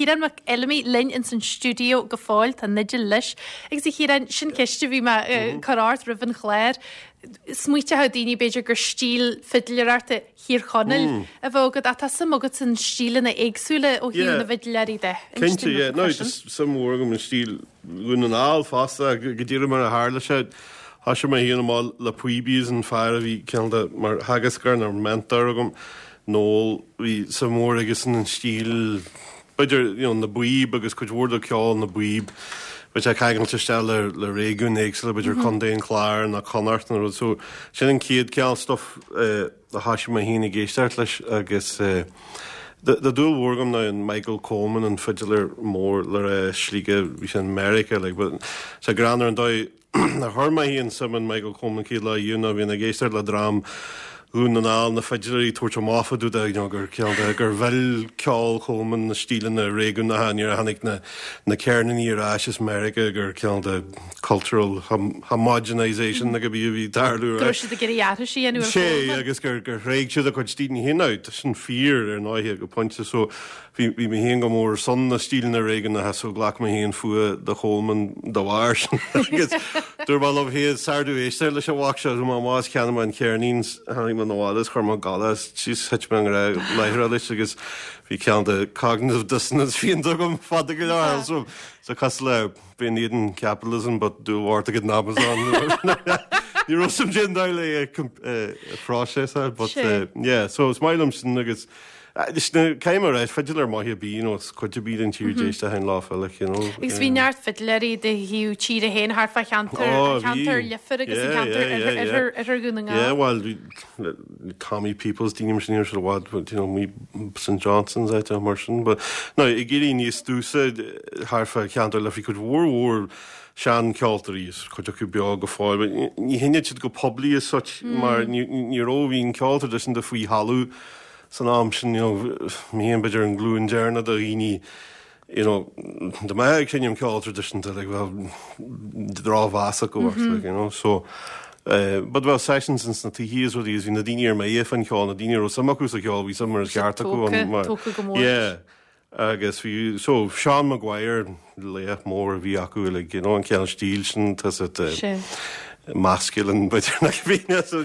Ciarán Mac Fheilimí linn ins an stiúideo go fóill, tá an fhidil leis. Agus a Chiaráin, sin ceist a bhí mé ag cur ort roimh an chlár. Smaoiteoidh daoine b'fhéidir gur stíl fidléireachta Thír Chonaill a bheadh agat ach tá suim agat san stíleanna éagsúla ó thaobh na bhfidléirí de. Cinnte, yeah. No, tá suim mhór agam i stíl Dhún na nGall fosta, go díreach mar a tharla sé. Thoisigh mé féin amach le píobaí is an fear a bhí cineál de mar theagascóir nó mentor agam, Noel, bhí suim mhór aigesan an stíl, b'fhéidir, you know, na bpíob agus cuid mhór de ceol na bpíob, bheadh sé ceangailte isteach le, le réigiúin éagsúla, b'fhéidir Contae an Chláir nó Connacht nó rud. So, sin an chéad cineál stuff eh, a thoisigh mé féin ag éisteacht leis agus eh, tá dúil mhór agam now in Michael Coleman, an fidiléir mór le rá as Sligeach, bhí sé in Meiriceá, like, but tá greannmhar an dóigh ar chuir mé féin suim in Michael Coleman chéad lá riamh ná bhí mé ag éisteacht le dream Dhún na nGall, na fidiléirí ag tabhairt amach fá dtaobh de, you know, gur cineál de, gur mhill ceol Coleman na stíleanna réigiúnacha nuair a tháinig na, na ceirníní ar ais as Meiriceá gur cineál de cultural homogenisation nó cibé a bhí ag tarlú. Go raibh siad ag iarraidh aithris a dhéanamh ar Sé, agus gur, gur thréig siad a gcuid stíleanna féin. Now, tá sin fíor ar ndóighe go pointe so Bhí, bhí mé féin go mór ar son na stíleanna réigiúnacha so ghlac mé féin fuath do Choleman dá bharr sin agus dúirt mé liom féin is fearr domh éisteacht leis an mhac seo, chuaigh mé amach is cheannaigh mé an ceirnín 's tháinig mé 'na bhaile is chuir mé ag gabháil é is jeez thit mé i ngrá láithreach leis agus bhí cineál de cognitive dissonance féin agam fada go leor so so cosúil le bíonn éadan capitalism but dúil mhór agat in Amazon ní raibh suim déan dul le phróiseas but yeah so is maith liom sin agus Caithfidh mé a rá, fidiléir maith ar bith, you know, is cuid ar bith den tír d'éisteadh an lá file, you know. Agus bhí neart fidiléirí de thaobh tíre féin thart fá cheantar, an ceantar Leifear agus an ceantar oirthear, oirthear Dhún na nGall. Yeah, bhuel, bhí Tommy Peoples, daoine mar sin, ní raibh siad i bhfad, you know, bhí St Johnson's áit mar sin, but no, ag éirí níos túsa thart fá cheantar Leifear, cuid mhór mhór seancheoltóirí, is cuid acu beo go fóill, but ní sheinneadh siad go poiblí as such mar ní raibh, bhí an ceol traidisiúnta faoi thalamh san am sin, you know, mé féin b'fhéidir an glúin deireanach de dhaoine, you know, dá mbeifeá ag seinm ceol traidisiúnta, like, bheadh drochmheas acu ort, like, you know, so, eh, but bheadh sessions ins na tithe is rudaí is bhí na daoine ar mire fán cheol, na daoine a raibh suim acu sa cheol, bhí suim mar is ceart acu ann, mar, Tógtha go mór. yeah. Agus bhí, so, Seán Maguire, laoch mór a bhí acu uilig, you know, an cineál stíl sin, tá sa masculine, b'fhéidir nach bhí, so,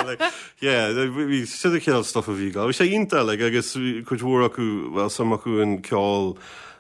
like, yeah, bhí sin an cineál stuff a bhí ag, bhí sé iontach, like, agus cuid mhór acu, bhuel, suim acu in ceol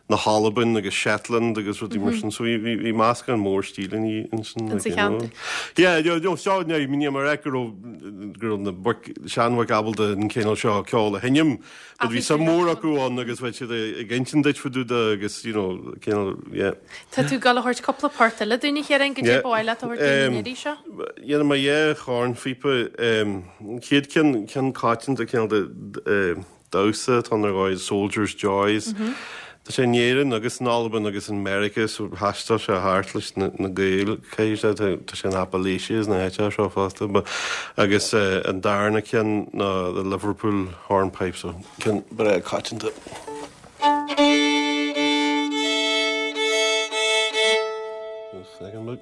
na hAlban agus Shetland agus rudaí mar sin, so bhí, bhí, bhí meascán mór stíleanna ansin, like, you know. Yeah, you know, so, ní, ní mar go raibh, go raibh na boic, seanbhoic ábalta an cineál seo ceol a sheinm, But bhí suim mhór acu ann agus bheadh siad ag insint duit fá dtaobh de agus, you know, cineál, yeah. Tá tú ag dul a thabhairt cúpla port eile dúinn a Chiaráin, goidé ba mhaith leat a thabhairt dúinn an iarraidh seo? Dhéanfaidh mé dhá chornphíopa. An chéad ceann, ceann coitianta, cineál de damhsa atá ann ar dhóigh, Soldier's Joys. Tá sé in Éirinn agus in Albain agus in Meiriceá so thaistil sé thart leis na Gaeil, caithfidh sé, tá sé in Appalachia is na háiteacha seo fosta but agus an darna ceann ná the Liverpool Hornpipe so ceann breá coitianta. Second look.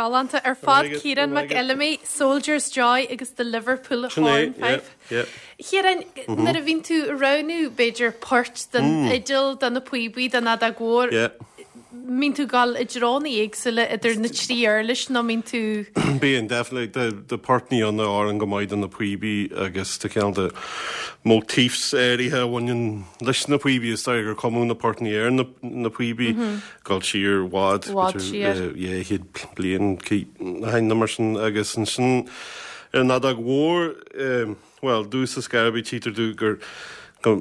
Galánta ar fad Ciarán Mac Fheilimí, Soldier's Joy agus The Liverpool Hornpipe. Chiaráin, nuair a bhíonn tú ag roghnú b'fhéidir poirt don fhidil, do na píobaí, don fheadóg mhór, mbíonn tú ag dul i dtreonna éagsúla idir na trí uirlis nó mbíonn tú. Bíonn, definitely. Tá portnaí ann a oireann go maith do na píobaí agus tá cineál de motifs áirithe a bhaineann leis na píobaí. Is dóigh gur cumadh na portnaí ar na píobaí dul siar i bhfad, b'fhéidir 200 bliain ó shin nó mar sin agus ansin ar an fheadóg mhór, Bhuel, domhsa ar scor ar bith tchítear domh gur go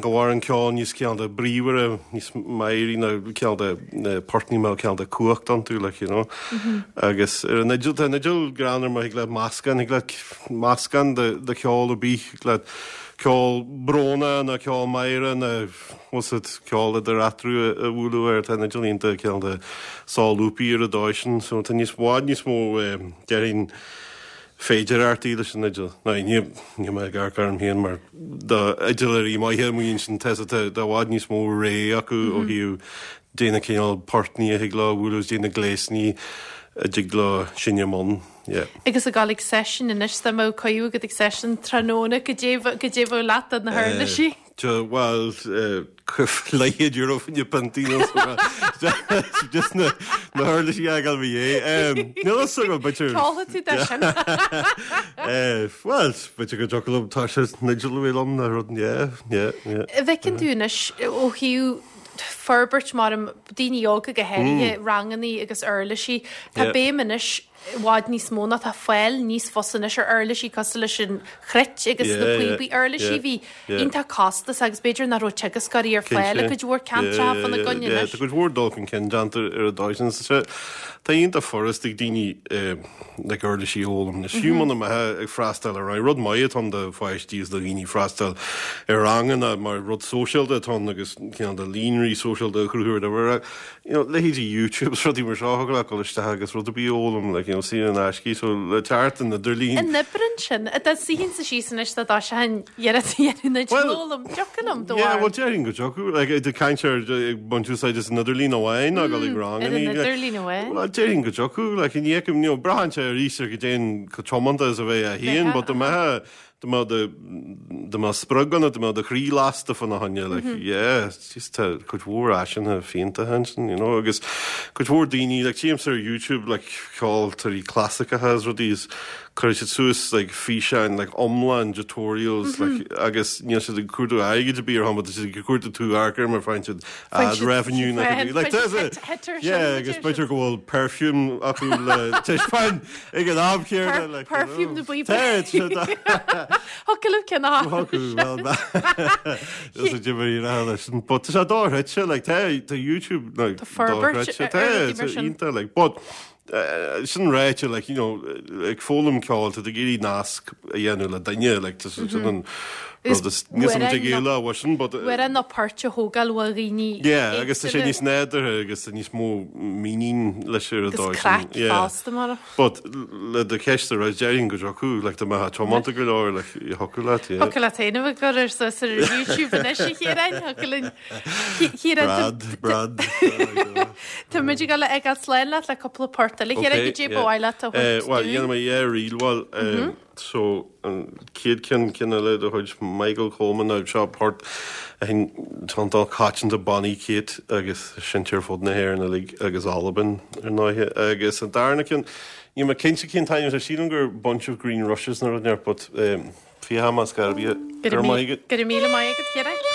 go bhfaireann ceol níos cineál de bríomhaire, níos meidhrí ná cineál de na portnaí a mbeadh cineál de cumhacht iontu, like, you know. Agus ar an fhidil, tá an fhidil greannmhar mar thig leat meascán, thig leat meascán de de cheol ar bith, thig leat ceol brónach nó ceol meidhreach nó bhfuil 's agat ceol idir eatarthu a bhualadh air, tá an fhidil iontach cineál de solúbtha ar an dóigh sin, so tá níos bhfad níos mó déarfainn féidearthachtaí leis an fhidil. Now, ní níl mé ag amharc orm féin mar d'fhidiléirí maithe amuigh ansin, tá tá i bhfad níos mó rogha acu ó thaobh dé na cineál portnaí a thig leo a bhualadh is dé na gléasanna a dtig leo seinm ann. Yeah. Agus ag dul ag seisiún anois, dá mbeadh cuireadh agat ag seisiún tráthnóna, goidé goidé bheadh leat do na huirlisí? Bhuel, leathchéad euro fá choinne piontaí nó just na huirlisí a fhágáil i mo dhiaidh. Níl a fhios agam, b'fhéidir. Ceolfaidh tú dó sin. Bhuel, b'fhéidir go dtiocfadh liom tá sé an fhidil a bheith liom nó rud, yeah, yeah, yeah. An bhfeiceann tú anois ó thaobh forbairt mar daoine óga go háirithe, rangannaí agus uirlisí, tá béim anois i bhfad níos mó ná tá fáil níos fusa anois ar uirlisí cosúil leis an chruit agus na píobaí, uirlisí a bhí iontach costasach agus b'fhéidir nach raibh teagascóirí ar fáil i gcuid mhór ceantracha fána gcoinne anois. Tá cuid mhór dul chun cinn déanta ar an dóigh sin. Tá iontach furast ag daoine like uirlisí a fhoghlaim anois. Fiú muna mbeifeá ag freastal ar rang, rud maith atá ann do pháistí is do dhaoine freastal ar ranganna mar rud sóisialta atá ann agus cineál de líonraí sóisialta a chruthú ar you know, leithéidí YouTube is rudaí mar seo, thig leat dul isteach agus rud ar bith a fhoghlaim, like, you know, saor in aisce, so le teacht an idirlín. An oibreann sin? Dá suífinnse síos anois dá dtoiseochainn iarracht a dhéanamh an fhidil a fhoghlaim, dtiocfadh liom, do Yeah, bhuel, déarfainn go dtiocfadh, like, ag caint ar ag baint úsáid as an idirlíon amháin, ná dul ag ranganna. Ar an idirlíon amháin. Bhuel, déarfainn go dtiocfadh, like, ní fheicim, you know, braitheann sé arís ar goidé chomh tiomanta is a bheifeá féin, but dá mbeifeá Dá mbeadh do, dá mbeadh sprioc ionat, dá mbeadh do chroí lasta fána choinne, like, yeah, just tá cuid mhór áiseanna fiontacha ansin, you know, agus cuid mhór daoine, like, tchímse ar YouTube, like, ceoltóirí clasaiceacha is rudaí is cuireann siad suas, like, físeáin, like, iomlán tutorials, like, agus níl siad ag cuardú airgid ar bith ar shon, but tá siad ag cuardú tú amharc air mar faigheann siad ad revenue nó cibé, like, tá sé, yeah, agus b'fhéidir go bhfuil perfume acu le taispeáint Ag an am céanna, like, Perfume na bpíopaí. Thiocfadh liom ceann a Thiocfadh, well, is a dibir i leis an but tá sé dochreidte, like, tá tá YouTube like, Tá forbairt dochreidte, tá ar rudaí mar sin. iontach, like, but eh, sin ráite, like, you know, ag foghlaim ceoil, tá tú ag iarraidh nasc a dhéanamh le duine, like, tá sin an Agus rud is níos uair an ag éileamh uaidh sin, but eh, Uair ná páirt a thógáil ó dhaoine Yeah, agus tá sé éagsúla. níos nádúrtha agus tá níos mó mínín leis ar an Agus dóigh sin. craic Yeah. fosta mar. But le do cheist a rá, déarfainn go dtiocfadh, like, dá mbeifeá tiomanta go leor, like, thiocfadh leat, yeah. Thiocfadh leat féin a bheith ag cur suas ar YouTube anois, a Chiaráin, thiocfadh linn. Chiaráin, Brad, Brad. Tá muid ag dul a fhágáil slán leat le cúpla port eile. Chiaráin, Okay, goidé ba yeah. mhaith leat a Eh, thabhairt Well, dúinn? dhéanfaidh mé dhá ríl, bhuel, eh, So, an chéad ceann, ceann eile de chuid Michael Coleman ná seo port a iontach coitianta Bonny Kate agus seinnte ar fud na hÉireann uilig agus Albain ar ndóighe. Agus an darna ceann, níl mé cinnte cén t-ainm atá, sílim gur Bunch of Green Rushes nó rud inteacht but féachfaidh mé ar scor ar bith. Go raibh maith agat. Go raibh míle maith agat, Ciarán.